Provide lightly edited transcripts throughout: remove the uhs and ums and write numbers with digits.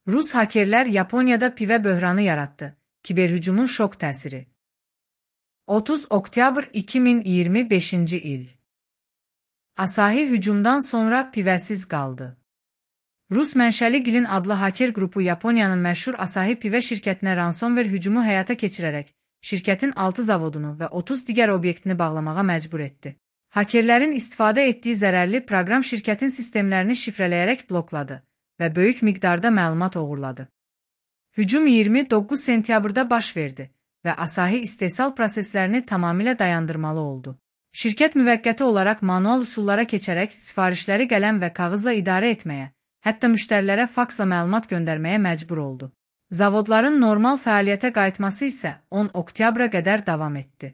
Rus hakerlər Yaponiyada pivə böhranı yarattı. Kiberhücumun şok təsiri. 30 oktyabr 2025-ci il. Asahi hücumdan sonra pivəsiz qaldı. Rus mənşəli Gilin adlı haker qrupu Yaponiyanın məşhur Asahi pivə şirkətinə ransomware hücumu həyata keçirərək şirkətin 6 zavodunu və 30 digər obyektini bağlamağa məcbur etdi. Hakerlərin istifadə etdiyi zərərli proqram şirkətin sistemlərini şifrələyərək blokladı və böyük miqdarda məlumat oğurladı. Hücum 29 sentyabrda baş verdi və Asahi istehsal proseslərini tamamilə dayandırmalı oldu. Şirkət müvəqqəti olaraq manual üsullara keçərək sifarişləri qələm və kağızla idarə etməyə, hətta müştərilərə faksla məlumat göndərməyə məcbur oldu. Zavodların normal fəaliyyətə qayıtması isə 10 oktyabra qədər davam etdi.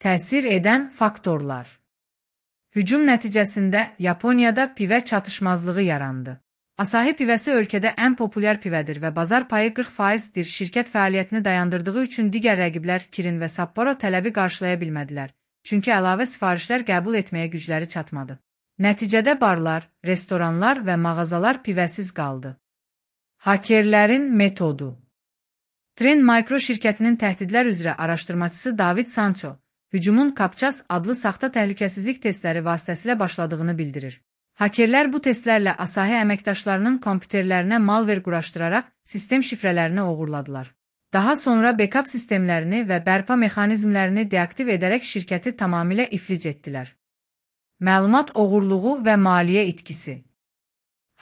Təsir edən faktorlar. Hücum nəticəsində Yaponiyada pivə çatışmazlığı yarandı. Asahi pivəsi ölkədə ən populyar pivədir və bazar payı 40%dir. Şirkət fəaliyyətini dayandırdığı üçün digər rəqiblər Kirin və Sapporo tələbi qarşılaya bilmədilər, çünki əlavə sifarişlər qəbul etməyə gücləri çatmadı. Nəticədə barlar, restoranlar və mağazalar pivəsiz qaldı. Hakerlərin metodu. Trend Micro şirkətinin təhdidlər üzrə araşdırmacısı David Sancho, hücumun Kapças adlı saxta təhlükəsizlik testləri vasitəsilə başladığını bildirir. Hakerlər bu testlərlə Asahi əməkdaşlarının kompüterlərinə malware quraşdıraraq sistem şifrələrini oğurladılar. Daha sonra backup sistemlərini və bərpa mexanizmlərini deaktiv edərək şirkəti tamamilə iflic etdilər. Məlumat oğurluğu və maliyyə itkisi.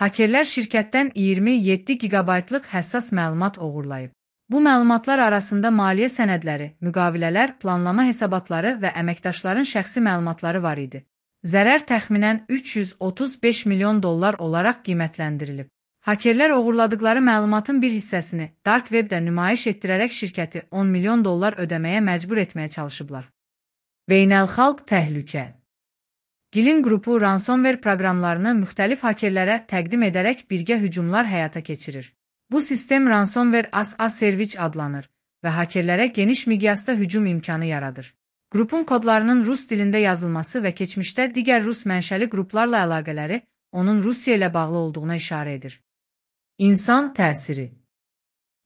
Hakerlər şirkətdən 27 gigabaytlıq həssas məlumat oğurlayıb. Bu məlumatlar arasında maliyyə sənədləri, müqavilələr, planlama hesabatları və əməkdaşların şəxsi məlumatları var idi. Zərər təxminən $335 milyon olaraq qiymətləndirilib. Hakerlər oğurladıkları məlumatın bir hissəsini Dark Webdə nümayiş etdirərək şirkəti $10 milyon ödəməyə məcbur etməyə çalışıblar. Beynəlxalq təhlükə. Gilin qrupu ransomware proqramlarını müxtəlif hakerlərə təqdim edərək birgə hücumlar həyata keçirir. Bu sistem ransomware as a service adlanır və hakerlərə geniş miqyasda hücum imkanı yaradır. Qrupun kodlarının rus dilində yazılması və keçmişdə digər rus mənşəli qruplarla əlaqələri onun Rusiya ilə bağlı olduğuna işarə edir. İnsan təsiri.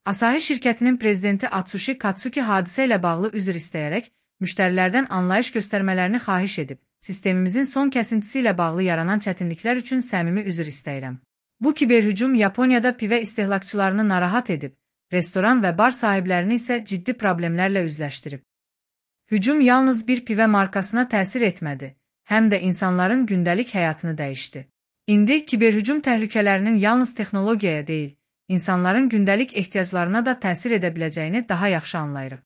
Asahi şirkətinin prezidenti Atsushi Katsuki hadisə ilə bağlı üzr istəyərək müştərilərdən anlayış göstərmələrini xahiş edib. Sistemimizin son kəsintisi ilə bağlı yaranan çətinliklər üçün səmimi üzr istəyirəm. Bu kiberhücum Yaponiyada pivə istehlakçılarını narahat edib, restoran və bar sahiblərini isə ciddi problemlərlə üzləşdirib. Hücum yalnız bir pivə markasına təsir etmədi, həm də insanların gündəlik həyatını dəyişdi. İndi kiberhücum təhlükələrinin yalnız texnologiyaya deyil, insanların gündəlik ehtiyaclarına da təsir edə biləcəyini daha yaxşı anlayırıq.